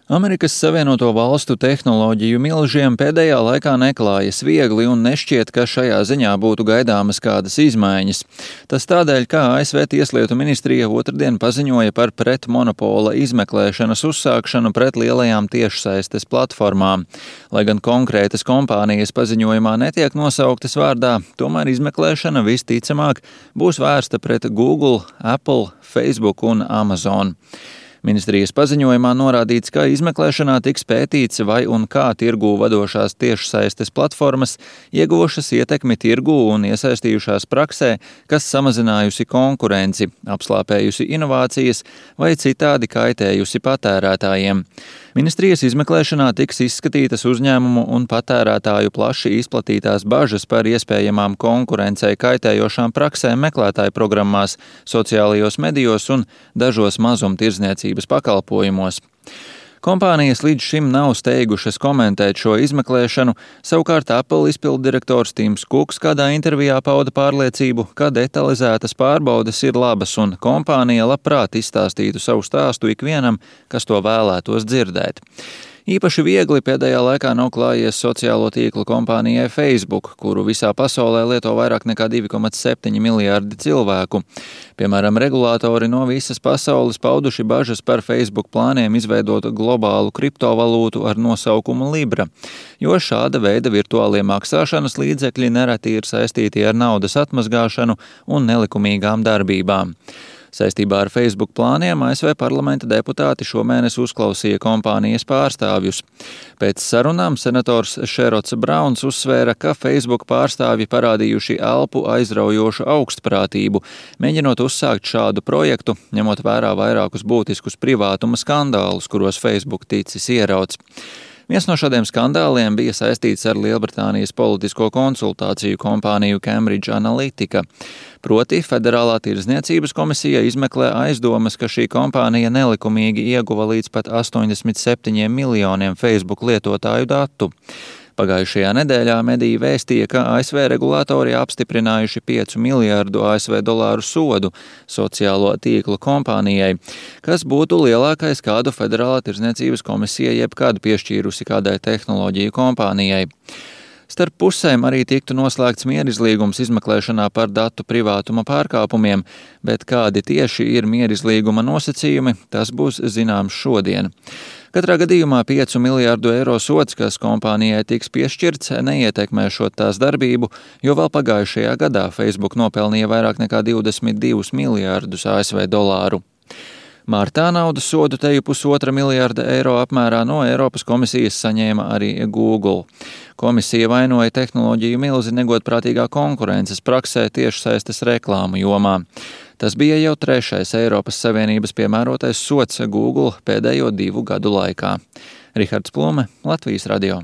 Amerikas Savienoto Valstu tehnoloģiju milžiem pēdējā laikā neklājas viegli un nešķiet, ka šajā ziņā būtu gaidāmas kādas izmaiņas. Tas tādēļ, ka ASV Tieslietu ministrija otrdien paziņoja par pretmonopola izmeklēšanas uzsākšanu pret lielajām tiešsaistes platformām. Lai gan konkrētas kompānijas paziņojumā netiek nosauktas vārdā, tomēr izmeklēšana visticamāk būs vērsta pret Google, Apple, Facebook un Amazon. Ministrijas paziņojumā norādīts, ka izmeklēšanā tiks pētīts, vai un kā tirgū vadošās tiešsaistes platformas ieguvušas ietekmi tirgū un iesaistījušās praksē, kas samazinājusi konkurenci, apslāpējusi inovācijas vai citādi kaitējusi patērētājiem. Ministrijas izmeklēšanā tiks izskatītas uzņēmumu un patērētāju plaši izplatītās bažas par iespējamām konkurencei kaitējošām praksēm meklētāju programmās, sociālajos medijos un dažos mazumtirdzniecības pakalpojumos. Kompānijas līdz šim nav steigušas komentēt šo izmeklēšanu, savukārt Apple izpilddirektors Tims Kuks kādā intervijā pauda pārliecību, ka detalizētas pārbaudes ir labas un kompānija labprāt izstāstītu savu stāstu ikvienam, kas to vēlētos dzirdēt. Īpaši viegli pēdējā laikā nav klājies sociālo tīklu kompānijai Facebook, kuru visā pasaulē lieto vairāk nekā 2,7 miljārdi cilvēku. Piemēram, regulātori no visas pasaules pauduši bažas par Facebook plāniem izveidot globālu kriptovalūtu ar nosaukumu Libra, jo šāda veida virtuālie maksāšanas līdzekļi nereti ir saistīti ar naudas atmazgāšanu un nelikumīgām darbībām. Saistībā ar Facebook plāniem ASV parlamenta deputāti šomēnes uzklausīja kompānijas pārstāvjus. Pēc sarunām senators Šerots Brauns uzsvēra, ka Facebook pārstāvji parādījuši elpu aizraujošu augstprātību, mēģinot uzsākt šādu projektu, ņemot vērā vairākus būtiskus privātuma skandālus, kuros Facebook ticis ierauts. Viens no šādiem skandāliem bija saistīts ar Lielbritānijas politisko konsultāciju kompāniju Cambridge Analytica. Proti, Federālā tirdzniecības komisija izmeklē aizdomas, ka šī kompānija nelikumīgi ieguva līdz pat 87 miljoniem Facebook lietotāju datu. Pagājušajā nedēļā mediji vēstīja, ka ASV regulātori apstiprinājuši 5 miljārdu ASV dolāru sodu sociālo tīklu kompānijai, kas būtu lielākais, kādu Federālā tirdzniecības komisija jebkad piešķīrusi kādai tehnoloģiju kompānijai. Starp pusēm arī tiktu noslēgts mierizlīgums izmeklēšanā par datu privātuma pārkāpumiem, bet kādi tieši ir mierizlīguma nosacījumi, tas būs zināms šodien. Katrā gadījumā 5 miljārdu eiro sods, kas kompānijai tiks piešķirts, neietekmēšot tās darbību, jo vēl pagājušajā gadā Facebook nopelnīja vairāk nekā 22 miljārdus ASV dolāru. Martā naudas sodu teju 1,5 miljārda eiro apmērā no Eiropas komisijas saņēma arī Google. Komisija vainoja tehnoloģiju milzi negodprātīgā konkurences praksē tiešsaistes reklāmu jomā. Tas bija jau 3. Eiropas Savienības piemērotais sods Google pēdējo 2 gadu laikā. Rihards Plume, Latvijas radio.